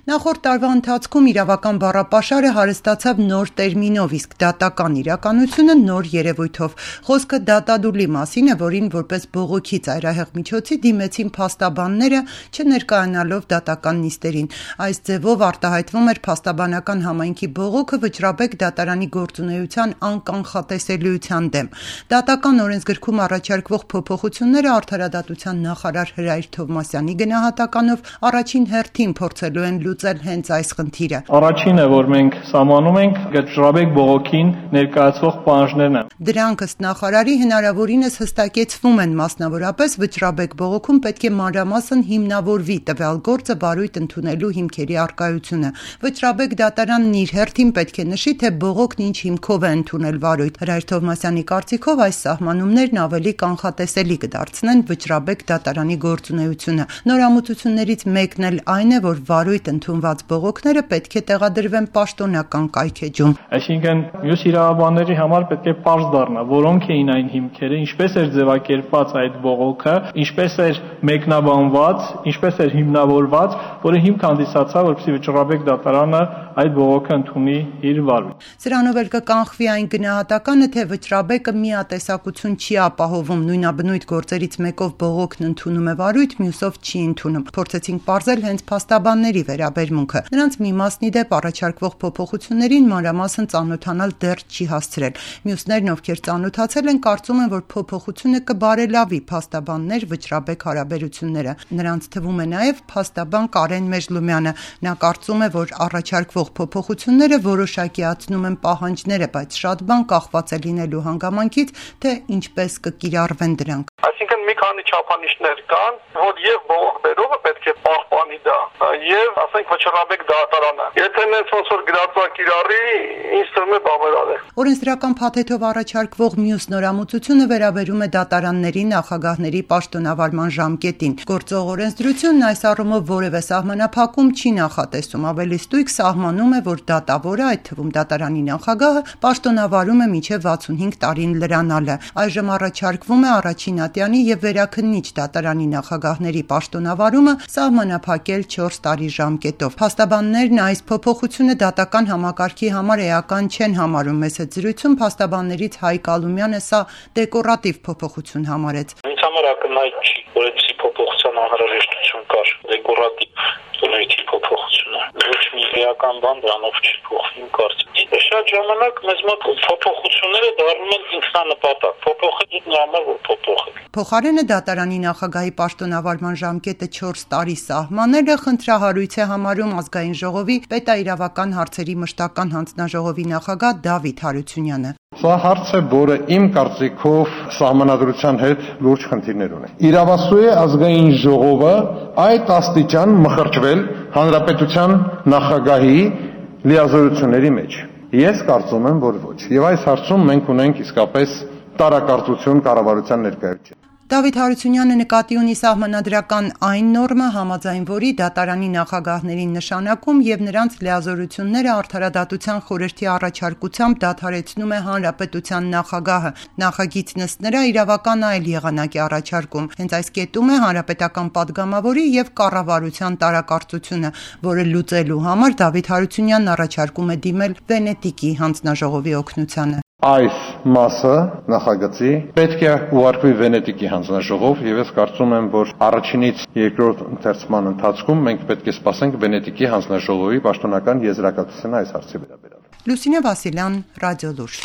Նախորդ տարվա ընթացքում իրավական բառապաշարը հարստացավ նոր տերմինով, իսկ դատական իրականությունը նոր երևույթով։ Խոսքը դատադուլի մասին է, որին որպես բողոքի ծայրահեղ միջոցի դիմեցին փաստաբանները, չներկայանալով դատական նիստերին։ Այս ձևով արտահայտվում էր փաստաբանական համայնքի բողոքը Վճռաբեկ դատարանի գործունեության անկանխատեսելիության դեմ։ Դատական օրենսգրքում առաջարկվող փոփոխությունները արդարադատության նախարար Հրայր Թովմասյանի գնահատականով առաջին հերթին փորձելու են լուծել հենց այս խնդիրը։ Առաջինը, որ մենք սահմանում ենք, Վճռաբեկ բողոքին ներկայացվող պահանջներն են։ Դրանք ըստ նախարարի հնարավորինս հստակեցվում են, մասնավորապես Վճռաբեկ բողոքում պետք է մանրամասն հիմնավորվի տվյալ գործը բարույթ ընդունելու հիմքերի առկայությունը։ Վճռաբեկ դատարանն իր հերթին պետք է նշի, թե բողոքն ինչ հիմքով է ընդունել վարույթ։ Հրայր Թովմասյանի կարծիքով այս սահմանումներն ավելի կանխատեսելի կդարձնեն Վճռաբեկ դատարանի գործունեությունը։ Նորամուծություններից մեկն էլ այն է, որ վարույթ ընդունված բողոքները պետք է տեղադրվեն պաշտոնական կայքէջում։ Այսինքն մյուս իրավաբանների համար պետք է պարզ դառնա, որոնք էին այն հիմքերը, ինչպես էր ձևակերպված այդ բողոքը, ինչպես էր մեկնաբանված, ինչպես էր հիմնավորված, որը հիմք հանդիսացավ, որպեսզի Վճռաբեկ դատարանը այդ բողոքը ընդունի իր վարույթ։ Սրանով էլ կկանխվի այն գնահատականը, թե Վճռաբեկը միատեսակություն չի ապահովում, նույնաբնույթ գործերից մեկով բողոքն ընդունում է վարույթ, մյուսով չի ընդունում։ Փորձեցինք պարզել հենց փաստաբանների վերաբերմունքը։ Նրանց մի մասն ի դեպ առաջարկվող փոփոխություններին մանրամասն ծանոթանալ դեռ չի հասցրել։ Մյուսներն, ովքեր ծանոթացել են, կարծում են, որ փոփոխությունը կբարելավի փաստաբաններ Վճռաբեկ հարաբերությունները։ Նրանց թվում է նաև փաստաբան Կարեն Մեժլումյանը։ Նա կարծում է, որ առաջարկվող փոփոխությունները որոշակիացնում են պահանջները, բայց շատ բան կախված է լինելու հանգամանքից, թե ինչպես կկիրառվեն դրանք։ Այսինքն մի քանի չափանիշներ կան, որ եւ բողոք բերողը պետք է պահպանի դա, եւ ասենք Վճռաբեկ դատարանը։ Եթե նենց ոնց որ գրածակիրառի, ինձ թվում է բավարար է։ Օրենսդրական փաթեթով առաջարկվող մյուս նորամուծությունը վերաբերում է դատարանների նախագահների պաշտոնավարման ժամկետին։ Գործող օրենսդրությունն այս առումով որևէ սահմանափակում չի նախատեսում, ավելի ստույգ սահմանում է, որ դատավորը, այդ թվում դատարանի նախագահը, պաշտոնավարում է մինչև 65 տարին լրանալը։ Այժմ առաջարկվում է առաջին ատյանի եւ վերաքննիչ դատարանի նախագահների պաշտոնավարումը սահմանափակել 4 տարի ժամկետով։ Փաստաբաններն այս փոփոխությունը դատական համակարգի համար էական չեն համարում։ Մեծ զրույցում փաստաբաններից Հայկ Ալումյանը սա դեկորատիվ փոփոխություն համարեց։ Ինձ համար ակնհայտ չի, որ այդպիսի փոփոխության անհրաժեշտություն կար։ Դեկորատիվ բնույթի փոփոխությունը։ Ոչ մի էական բան դրանով չի փոխվի, իմ կարծիքով։ Շատ ժամանակ մեզ մոտ փոփոխությունները դառնում են ինքնանպատակ։ Փոփոխել նրա համար որ փոփոխել։ Փոխարենը դատարանի նախագահի պաշտոնավարման ժամկետը 4 տարի սահմանելը խնդրահարույց է համարում Ազգային ժողովի պետաիրավական հարցերի մշտական հանձնաժողովի նախագահ Դավիթ Հարությունյանը։ Սա հարց է, որը իմ կարծիքով սահմանադրության հետ լուրջ խնդիրներ ունի։ Իրավասու է Ազգային ժողովը այդ աստիճան մխրճվել հանրապետության նախագահի լիազորությունների մեջ։ Ես կարծում եմ, որ ոչ։ Եվ այս հարցում մենք ունենք իսկապես տարակարծություն կառավարության ներկայության։ Դավիթ Հարությունյանը նկատի ունի սահմանադրական այն նորմը, համաձայն որի դատարանի նախագահներին նշանակում եւ նրանց լիազորությունները արդարադատության խորհրդի առաջարկությամբ դադարեցնում է հանրապետության նախագահը։ Նախագիծն ըստ նրա իրավական այլ եղանակ է առաջարկում։ Հենց այս կետում է հանրապետական падգամավորի եւ կառավարության տարակարծությունը, որը լուծելու համար Դավիթ Հարությունյանն առաջարկում է դիմել Վենետիկի հանձնաժողովի օգնությանը։ Այս մասը նախագծի պետք է ուղարկվի Վենետիկի հանձնաժողով եւ ես կարծում եմ, որ առաջինից երկրորդ ընթերցման ընթացքում մենք պետք է սպասենք Վենետիկի հանձնաժողովի պաշտոնական եզրակացությունը այս հարցի վերաբերյալ։ Լուսինե Վասիլյան, Ռադիոլուր։